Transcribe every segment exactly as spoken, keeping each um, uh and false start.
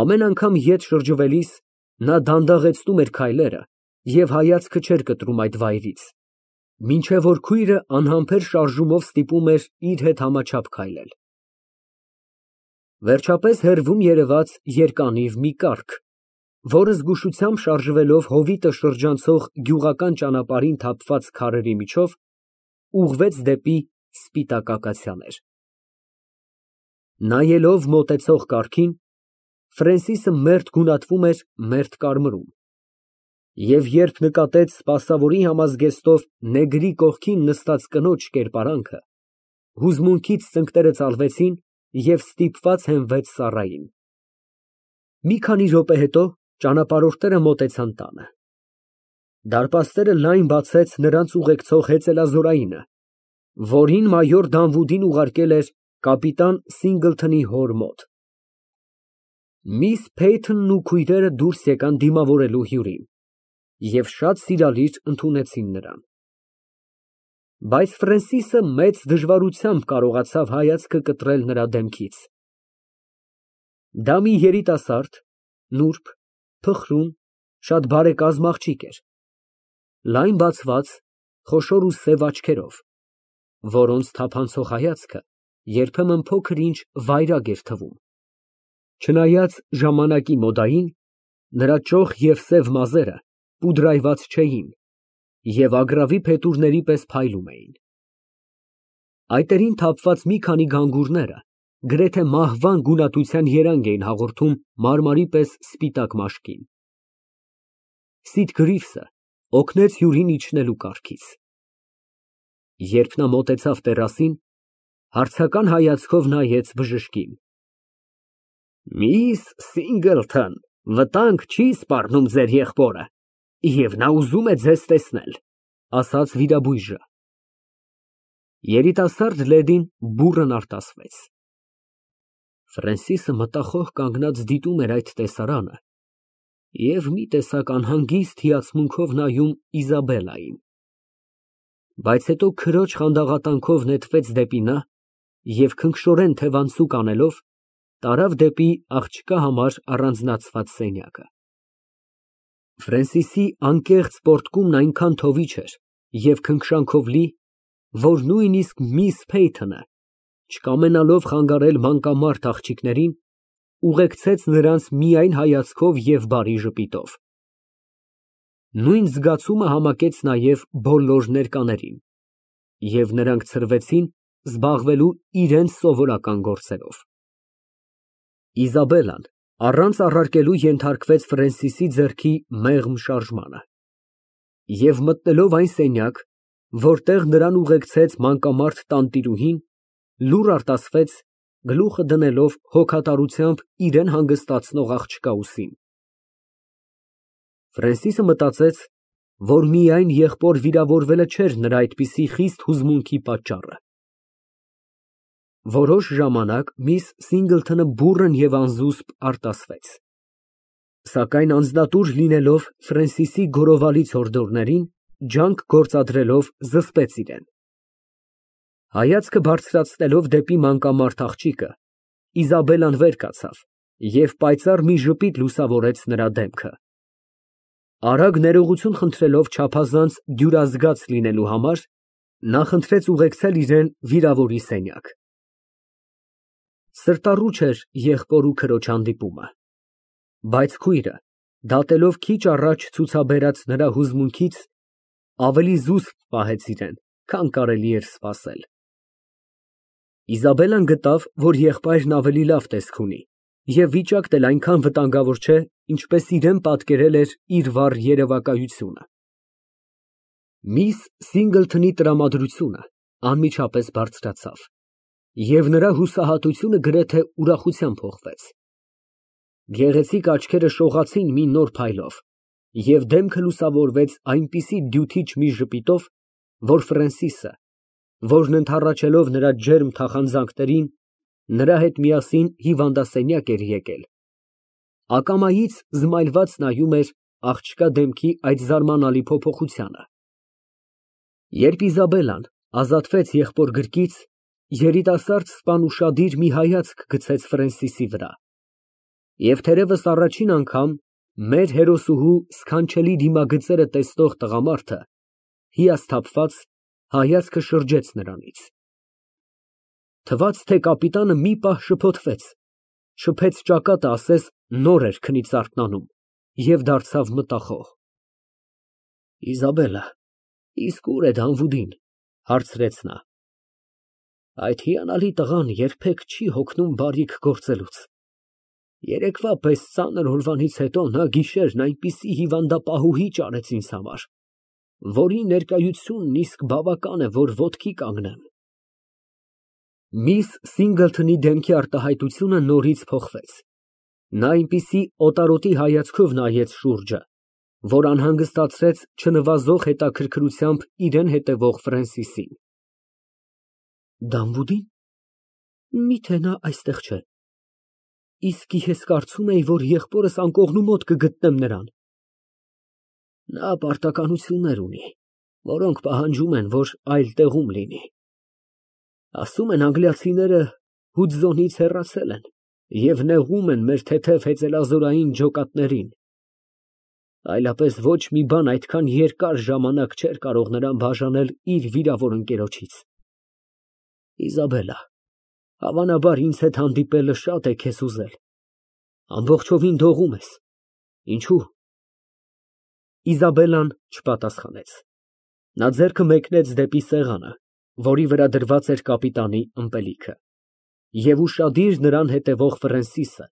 Ամեն անգամ ետ շրջվելիս նա դանդաղեցնում էր քայլերը և հայացքը չէր կտրում այդ վայրից, մինչև որ քույրը անհամբեր շարժումով ստիպում էր իր հետ համաչափ քայլել։ Վերջապես հեռվում երևաց երկանիվ մի կառք, որը զգուշությամբ շարժվելով հովիտը շրջանցող գյուղական ճանապարհին թափված քարերի միջով, ուղղվեց դեպի սպիտակ ակացիաներ։ Նայելով մոտեցող կառքին, Ֆրենսիսը մերթ գունատվում էր մերթ կարմրում, և երբ նկատեց սպասավորի համազգեստով նեգրի կողքին նստած կնոջ կերպարանքը, հուզմունքից ծնկները ծալվեցին և ստիպված հենվեց ծառային։ Մի քանի րոպե հետո ճանապարհորդները մոտեցան տանը։ Դարպասները լայն բացեց նրանց ուղեկցող հեծելազորայինը, որին մայոր Դանվուդին ուղարկել էր կապիտան Սինգլթոնի հոր մոտ։ Միս Փեյթոնն ու քույրերը դուրս եկան դիմավորելու հյուրին և շատ սիրալիր ընդունեցին նրան։ Բայց Ֆրենսիսը մեծ դժվարությամբ կարողացավ հայացքը կտրել նրա դեմքից։ Դա մի երիտասարդ, նուրբ, փխրուն, շատ բարեկազմ աղջիկ էր, լայն բացված, խոշոր ու սև աչքերով, որոնց թափանցող հայացքը երբեմն փոքր֊ինչ վայրագ էր թվում։ Չնայած ժամանակի մոդային, նրա ճոխ և սև մազերը պուդրայված չէին և ագռավի փետուրների պես փայլում էին։ Այտերին թափված մի քանի գանգուրները գրեթե մահվան գունատության երանգ էին հաղորդում մարմարի պես սպիտակ մաշկին։ Սիթ Գրիվսը օգնեց հյուրին իջնելու կառքից։ Երբ նա մոտեցավ տերասին, հարցական հայացքով նայեց բժշկին։ Միս Սինգլթոն, վտանգ չի սպառնում ձեր եղբորը, և նա ուզում է ձեզ տեսնել, ասաց վիրաբույժը։ Երիտասարդ լեդին բուռն արտասվեց։ Ֆրենսիսը մտախոհ կանգնած դիտում էր այդ տեսարանը և մի տեսակ անհանգիստ հիացմունքով նայում Իզաբելլային, բայց հետո քրոջ խանդաղատանքով նետվեց դեպի նա և քնքշորեն թևանցուկ անելով, տարավ դեպի աղջկա համար առանձնացված սենյակը։ Ֆրենսիսի անկեղծ պոռթկումն այնքան թովիչ էր և քնքշանքով լի, որ նույնիսկ միս Փեյթոնը, չկամենալով խանգարել մանկամարդ աղջիկներին, ուղեկցեց նրանց միայն հայացքով և բարի ժպիտով։ Նույն զգացումը համակեց նաև բոլոր ներկաներին, և նրանք ցրվեցին զբաղվելու իրենց սովորական գործերով։ Իզաբելլան առանց առարկելու ենթարկվեց Ֆրենսիսի ձեռքի մեղմ շարժմանը և մտնելով այն սենյակ, որտեղ նրան ուղեկցեց մանկամարդ տանտիրուհին, լուռ արտասվեց, գլուխը դնելով հոգատարությամբ իրան հանգստացնող աղջկա ուսին։ Ֆրենսիսը մտածեց, որ միայն եղբոր վիրավորվելը չէր նրա այդպիսի խիստ հուզմունքի պատճառը։ Որոշ ժամանակ միս Սինգլթոնը բուռն և անզուսպ արտասվեց, սակայն անձնատուր լինելով Ֆրենսիսի գորովալից հորդորներին, ջանք գործադրելով զսպեց իրեն։ Հայացքը բարձրացնելով դեպի մանկամարդ աղջիկը, Իզաբելլան վեր կացավ և պայծառ մի ժպիտ լուսավորեց նրա դեմքը։ Արագ ներողություն խնդրելով չափազանց դյուրազգաց լինելու համար, նա խնդրեց ուղեկցել իրան վիրավորի սենյակ։ Սրտառուչ էր եղբոր ու քրոջ հանդիպումը, բայց քույրը, դատելով քիչ առաջ ցուցաբերած նրա հուզմունքից, ավելի զուսպ պահեց իրան, քան կարելի էր սպասել։ Իզաբելլան գտավ, որ եղբայրն ավելի լավ տեսք ունի և վիճակն էլ այնքան վտանգավոր չէ, ինչպես իրան պատկերել էր իր վառ երևակայությունը։ Միս Սինգլթոնի տրամադրությունը անմիջապես բարձրացավ, և նրա հուսահատությունը գրեթե ուրախությամբ փոխվեց։ Գեղեցիկ աչքերը շողացին մի նոր փայլով, և դեմքը լուսավորվեց այնպիսի դյութիչ մի ժպիտով, որ Ֆրենսիսը, որն ընդառաջելով նրա ջերմ թախանձանքներին, նրա հետ միասին հիվանդասենյակ էր եկել, ակամայից զմայլված նայում էր աղջկա դեմքի այդ զարմանալի փոփոխությանը։ Երբ Իզաբելլան ազատվեց եղբոր գրկից, երիտասարդ սպան ուշադիր մի հայացք գցեց Ֆրենսիսի վրա Եվ թերևս առաջին անգամ մեր հերոսուհու սքանչելի դիմագծերը տեսնող տղամարդը հիասթափված հայացքը շրջեց նրանից. թվաց, թե կապիտանը մի պահ շփոթվեց, շփեց ճակատը, ասես նոր էր քնից արթնանում, և դարձավ մտախոհ։ Իզաբելլա, իսկ ո՞ւր է Դանվուդին, հարցրեց նա։ Այդ հիանալի տղան երբեք չի հոգնում բարիք գործելուց։ Երեկվա պես ծանր օրվանից հետո նա գիշերն այնպիսի հիվանդապահուհի ճարեց ինձ համար, որի ներկայությունն իսկ բավական է, որ ոտքի կանգնեմ։ Միս Սինգլթոնի դեմքի արտահայտությունը նորից փոխվեց։ Նա այնպիսի օտարոտի հայացքով նայեց շուրջը, որ անհանգստացրեց չնվազող հետաքրքրությամբ իրան հետևող Ֆրենսիսին։ Դանվուդի՞ն։ Միթե նա այստեղ չէ։ Իսկ ես կարծում էի, որ եղբորս անկողնու մոտ կգտնեմ նրան։ Նա պարտականություններ ունի, որոնք պահանջում են, որ այլ տեղում լինի։ Ասում են անգլիացիները Հուդզոնից հեռացել են և նեղում են մեր թեթև հեծելազորային ջոկատներին։ Այլապես ոչ մի բան այդքան երկար ժամանակ չէր կարող նրան բաժանել իր վիրավոր ընկերոջից։ Իզաբելլա, հավանաբար ինձ հետ հանդիպելը շատ է քեզ ուզել, ամբողջովին դողում ես, ինչո՞ւ։ Իզաբելլան չպատասխանեց։ Նա ձեռքը մեկնեց դեպի սեղանը, որի վրա դրված էր կապիտանի ըմպելիքը, և ուշադիր նրան հետևող Ֆրենսիսը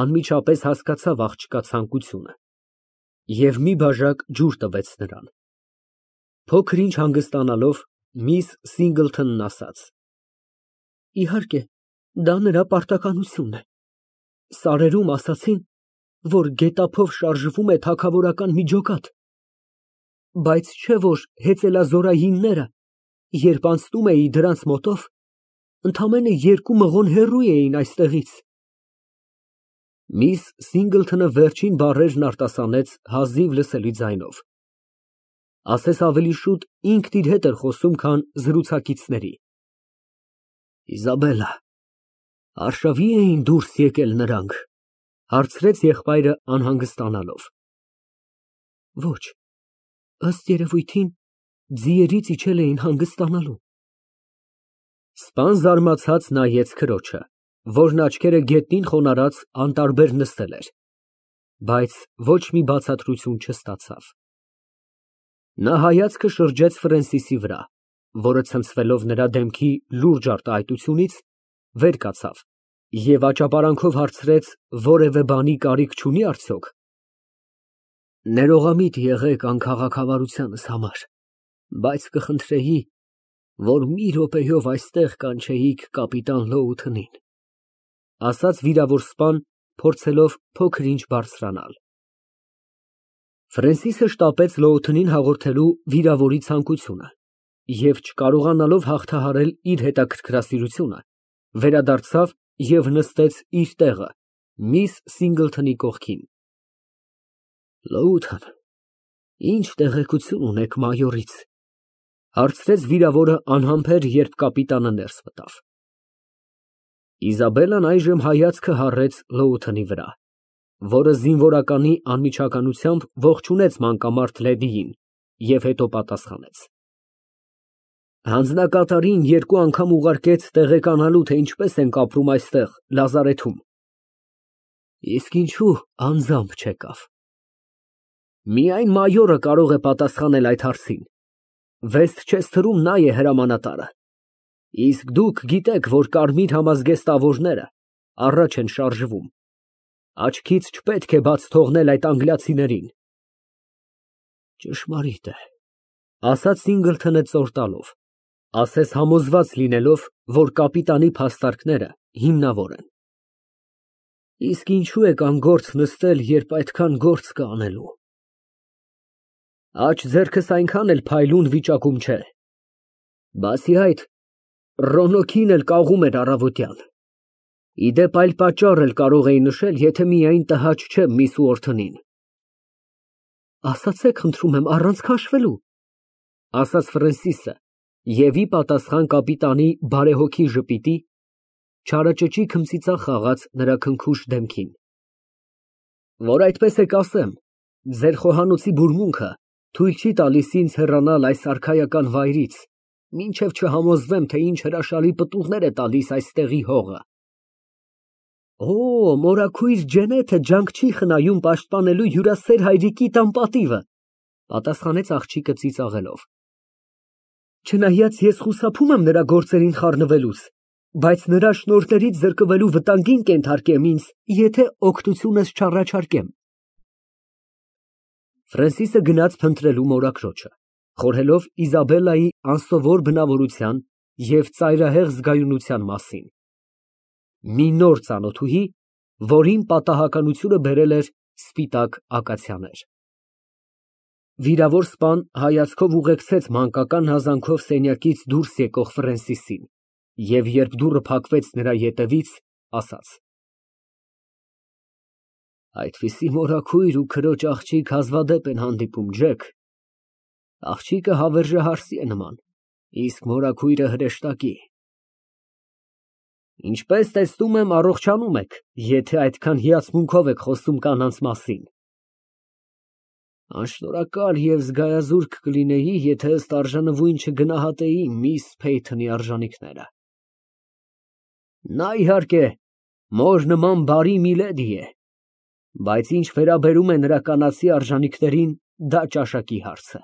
անմիջապես հասկացավ աղջկա ցանկությունը և մի բաժակ ջուր տվեց նրան։ Փոքր ինչ հանգստանալով, միս Սինգլթոնն ասաց. Իհարկե, դա նրա պարտականությունն է։ Սարերում ասացին, որ գետափով շարժվում է թագավորական մի ջոկատ, բայց չէ՞ որ հեծելազորայինները, երբ անցնում էի դրանց մոտով, ընդամենը երկու մղոն հեռու էին այստեղից։ Միս Սինգլթոնը վերջին բառերն արտասանեց հազիվ լսելի ձայնով։ Ասես ավելի շուտ ինքն իր հետ էր խոսում, քան զրուցակիցների։ Իզաբելլա, արշավի էին դուրս եկել նրանք, հարցրեց եղբայրը անհանգստանալով։ Ոչ, ըստ երևույթին, ձիերից իջել էին հանգստանալու։ Սպան զարմացած նայեց քրոջը, որն աչքերը գետնին խոնարհած անտարբեր նստել էր, բայց ոչ մի բացատրություն չստացավ։ Նա հայացքը շրջեց Ֆրենսիսի վրա, որը ցնցվելով նրա դեմքի լուրջ արտահայտությունից, վեր կացավ և աճապարանքով հարցրեց, որևէ բանի կարիք չունի՞ արդյոք։ Ներողամիտ եղեք անքաղաքավարությանս համար, բայց կխնդրեի, որ մի րոպեով այստեղ կանչեիք կապիտան Լոութոնին, ասաց վիրավոր սպան, փորձելով փոքր ինչ բարձրանալ։ Ֆրենսիսը շտապեց Լոութոնին հաղորդելու վիրավորի ցանկությունը և, չկարողանալով հաղթահարել իր հետաքրքրասիրությունը, վերադարձավ և նստեց իր տեղը միս Սինգլթոնի կողքին։ Լոութոն, ի՞նչ տեղեկություն ունեք մայորից, հարցրեց վիրավորը անհամբեր, երբ կապիտանը ներս մտավ։ Իզաբելլան այժմ հայացքը հառեց Լոութոնի վրա, որը զինվորականի անմիջականությամբ ողջունեց մանկամարդ լեդիին և հետո պատասխանեց. Հանձնակատարին երկու անգամ ուղարկեց տեղեկանալու, թե ինչպես ենք ապրում այստեղ լազարեթում։ Իսկ ինչու անձամբ չեկավ։ Միայն մայորը կարող է պատասխանել այդ հարցին։ Վեսթչեսթերում նա է հրամանատարը։ Իսկ դուք գիտեք, որ կարմիր համազգեստավորները առաջ են շարժվում։ Աչքից չպետք է բաց թողնել այդ անգլիացիներին։ Ճշմարիտ է, ասաց Սինգլթոնը ծոր տալով, ասես համոզված լինելով, որ կապիտանի փաստարկները հիմնավոր են։ Իսկ ինչու եք անգործ նստել, երբ այդքան գործ կա անելու։ Աջ ձեռքս այնքան էլ փայլուն վիճակում չէ։ Բացի այդ, Ռոնոքին էլ կաղում էր առավոտյան։ Ի դեպ, այլ պատճառ էլ կարող էի նշել, եթե միայն տհաճ չեմ միս Ուորթոնին։ Ասացեք, խնդրում եմ, առանց քաշվելու, ասաց Ֆրենսիսը, և ի պատասխան կապիտանի բարեհոգի ժպիտի, չարաճճի քմծիծաղ խաղաց նրա քնքուշ դեմքին։ Որ այդպես եք ասեմ, ձեր խոհանոցի բուրմունքը թույլ չի տալիս ինձ հեռանալ այս արքայական վայրից, մինչև չհամոզվեմ, թե ինչ հրաշալի պտուղներ է տալիս այստեղի հողը։ Օ, մորաքույր Ջենեթը ջանք չի խնայում պաշտպանելու հյուրասեր հայրիկի տան պատիվը, պատասխանեց աղջիկը ծիծաղելով։ Չնայած ես խուսափում եմ նրա գործերին խառնվելուց, բայց նրա շնորհներից զրկվելու վտանգին կենթարկեմ ինձ, եթե օգնությունս չառաջարկեմ։ Ֆրանսիսը գնաց փնտրելու մորաքրոջը, խորհելով Իզաբելլայի անսովոր բնավորության և ծայրահեղ զգայունության մասին։ Մի նոր ծանոթուհի, որին պատահականությունը բերել էր սպիտակ ակացիաներ։ Վիրավոր սպան հայացքով ուղեկցեց մանկական հազանգով սենյակից դուրս եկող Ֆրենսիսին և երբ դուռը փակվեց նրա ետևից, ասաց. Այդպիսի մորաքույր ու քրոջ աղջիկ հազվադեպ են հանդիպում, Ջեք։ Աղջիկը հավերժահարսի է նման, իսկ մորաքույրը հրեշտակի։ Ինչպես տեսնում եմ, առողջանում եք, եթե այդքան հիացմունքով եք խոսում կանանց մասին։ Անշնորհակալ և զգայազուրկ կլինեի, եթե ըստ արժանվույն չգնահատեի միս Փեյթոնի արժանիքները։ Նա, իհարկե, մոր նման բարի մի լեդի է, բայց ինչ վերաբերում է նրա կանացի արժանիքներին, դա ճաշակի հարց է։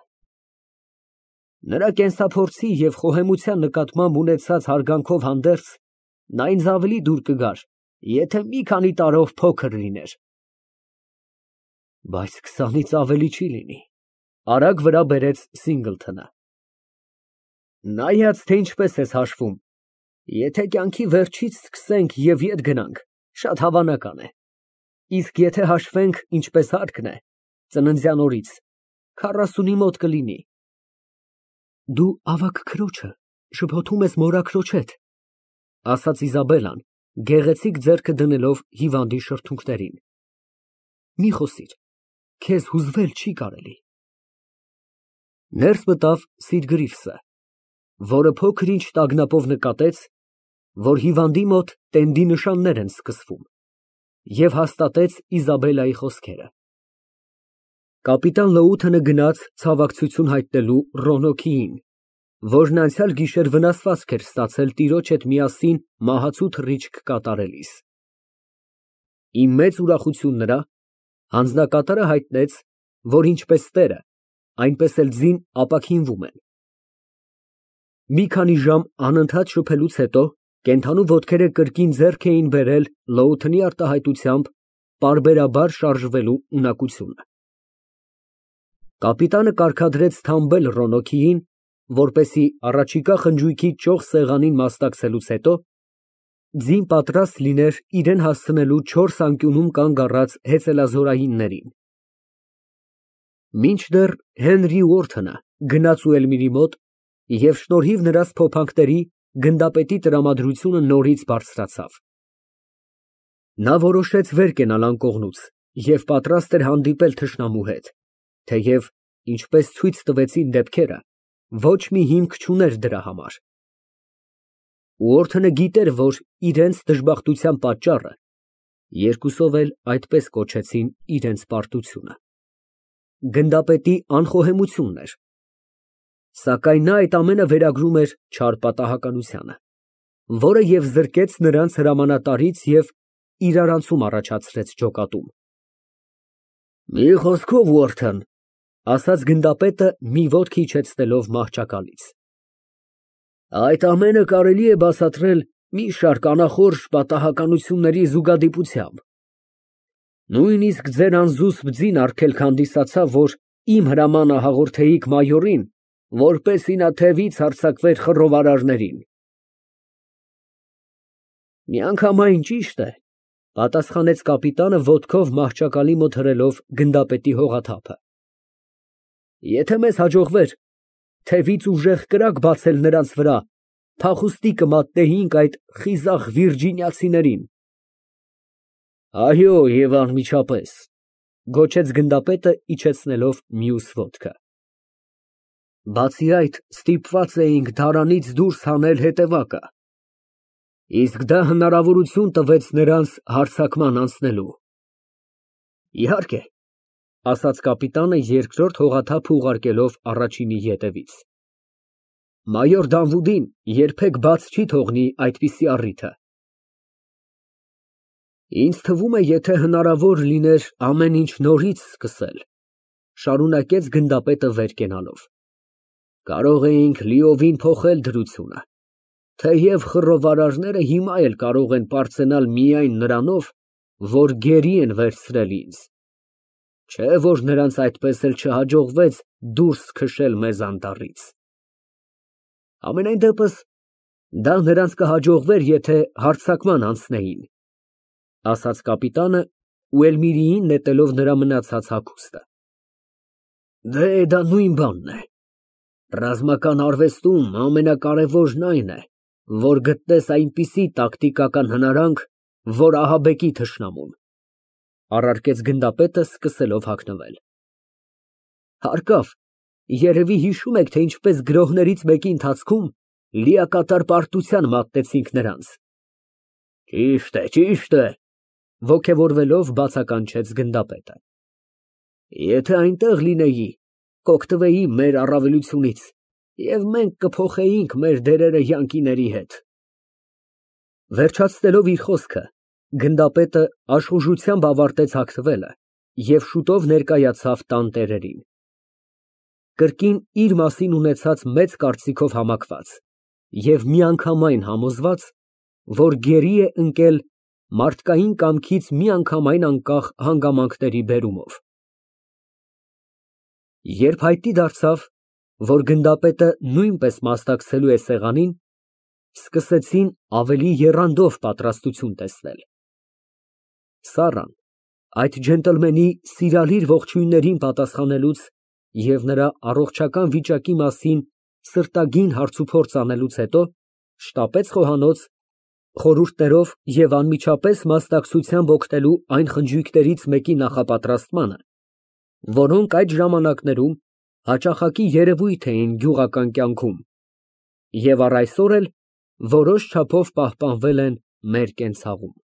Նրա կենսափորձի և խոհեմության նկատմամբ ունեցած հարգանքով հանդերձ, նա ինձ ավելի դուր կգար, եթե մի քանի տարով փոքր լիներ։ Բայց քսանից ավելի չի լինի, արագ վրա բերեց Սինգլթոնը։ Նայած, թե ինչպես ես հաշվում, եթե կյանքի վերջից սկսենք և ետ գնանք, շատ հավանական է, իսկ եթե հաշվենք, ինչպես հարկն է, ծննդյան օրից, քառասունի մոտ կլինի։ Դու ավագ քրոջը շփոթում ես մորաքրոջդ, ասաց Իզաբելլան, գեղեցիկ ձեռքը դնելով հիվանդի շրթունքներին։ Մի խոսիր, քեզ հուզվել չի կարելի։ Ներս մտավ Սիրգրիֆսը, որը փոքր-ինչ տագնապով նկատեց, որ հիվանդի մոտ տենդի նշաններ են սկսվում, և հաստատեց Իզաբելլայի խոսքերը։ Կապիտան Լոութենը գնաց ցավակցություն հայտնելու Ռոնոքիին, որն անցյալ գիշեր վնասվածք էր ստացել տիրոջ հետ միասին մահացու թռիչք կատարելիս։ Ի մեծ ուրախություն նրա, հանձնակատարը հայտնեց, որ ինչպես տերը, այնպես էլ ձին ապաքինվում են։ Մի քանի ժամ անընդհատ շփելուց հետո կենդանու ոտքերը կրկին ձեռք էին բերել Լոութենի արտահայտությամբ պարբերաբար շարժվելու ունակությունը։ Կապիտանը կարգադրեց թամբել Ռոնոքիին, որպեսզի առաջիկա խնջույքի ճոխ սեղանին մասնակցելուց հետո ձին պատրաստ լիներ իրան հասցնելու չորս անկյունում կանգ առած հեծելազորայիններին։ Մինչդեռ Հենրի Ուորթոնը գնաց Ուելմիրի մոտ և շնորհիվ նրա սփոփանքների գնդապետի տրամադրությունը նորից բարձրացավ։ Նա որոշեց վեր կենալ անկողնուց և պատրաստ էր հանդիպել թշնամու հետ, թեև, ինչպես ցույց տվեցին դեպքերը, ոչ մի հիմք չուներ դրա համար։ Ուորթոնը գիտեր, որ իրենց դժբախտության պատճառը երկուսով էլ այդպես կոչեցին իրենց պարտությունը գնդապետի անխոհեմությունն էր, սակայն նա այդ ամենը վերագրում էր չար պատահականությանը, որը և զրկեց նրանց հրամանատարից և իրարանցում առաջացրեց ջոկատում։ Մի խոսքով, Ուորթոն, ասաց գնդապետը մի ոտք իջեցնելով մահճակալից, այդ ամենը կարելի է բացատրել մի շարք անախորժ պատահականությունների զուգադիպությամբ։ Նույնիսկ ձեր անզուսպ ձին արգելք հանդիսացավ, որ իմ հրամանը հաղորդեիք մայորին, որպեսզի նա թևից հարձակվեր խռովարարներին։ Միանգամայն ճիշտ է, պատասխանեց կապիտանը ոտքով մահճակալի մոտ հրելով գնդապետի հողաթափը։ Եթե մեզ հաջողվեր թևից ուժեղ կրակ բացել նրանց վրա, փախուստի կմատնեինք այդ խիզախ վիրջինիացիներին։ Այո, և անմիջապես, գոչեց գնդապետը, իջեցնելով մյուս ոտքը։ Բացի այդ, ստիպված էինք դարանից դուրս հանել հետևակը, իսկ դա հնարավորություն տվեց նրանց հարձակման անցնելու։ Իհարկե, ասաց կապիտանը երկրորդ հողաթափը ուղարկելով առաջինի ետևից։ Մայոր Դանվուդին երբեք բաց չի թողնի այդպիսի առիթը։ Ինձ թվում է, եթե հնարավոր լիներ ամեն ինչ նորից սկսել, շարունակեց գնդապետը վեր կենալով, կարող էինք լիովին փոխել դրությունը, թեև խռովարարները հիմա էլ կարող են պարծենալ միայն նրանով, որ գերի են վերցրել ինձ, չէ որ նրանց այդպես էլ չհաջողվեց դուրս քշել մեզ անտառից։ Ամենայն դեպս, դա նրանց կհաջողվեր, եթե հարձակման անցնեին, ասաց կապիտանը ու Էլմիրիին նետելով նրա մնացած հագուստը։ Դե դա նույն բանն է։ Ռազմական արվեստում ամենակարևորն այն է, որ գտնես այնպիսի տակտիկական հնարանք, որ ահաբեկի թշնամուն, առարկեց գնդապետը սկսելով հագնվել։ Հարկավ, երևի հիշում եք, թե ինչպես գրոհներից մեկի ընթացքում լիակատար պարտության մատնեցինք նրանց։ Ճիշտ է, ճիշտ է, ոգևորվելով բացականչեց գնդապետը։ Եթե այնտեղ լինեի, կօգտվեի մեր առավելությունից և մենք կփոխեինք մեր դերերը յանկիների հետ։ Վերջացնելով իր խոսքը, գնդապետը աշխուժությամբ ավարտեց հագնվելը և շուտով ներկայացավ տան տերերին, կրկին իր մասին ունեցած մեծ կարծիքով համակված և միանգամայն համոզված, որ գերի է ընկել մարդկային կամքից միանգամայն անկախ հանգամանքների բերումով։ Երբ հայտնի դարձավ, որ գնդապետը նույնպես մասնակցելու է սեղանին, սկսեցին ավելի եռանդով պատրաստություն տեսնել։ Սառան այդ ջենտլմենի սիրալիր ողջույններին պատասխանելուց և նրա առողջական վիճակի մասին սրտագին հարցուփորձ անելուց հետո շտապեց խոհանոց, խորհուրդներով և անմիջապես մասնակցությամբ օգնելու այն խնջույքներից մեկի նախապատրաստմանը, որոնք այդ ժամանակներում հաճախակի երևույթ էին գյուղական կյանքում և առ այսօր էլ որոշ չափով պահպանվել են մեր կենցաղում։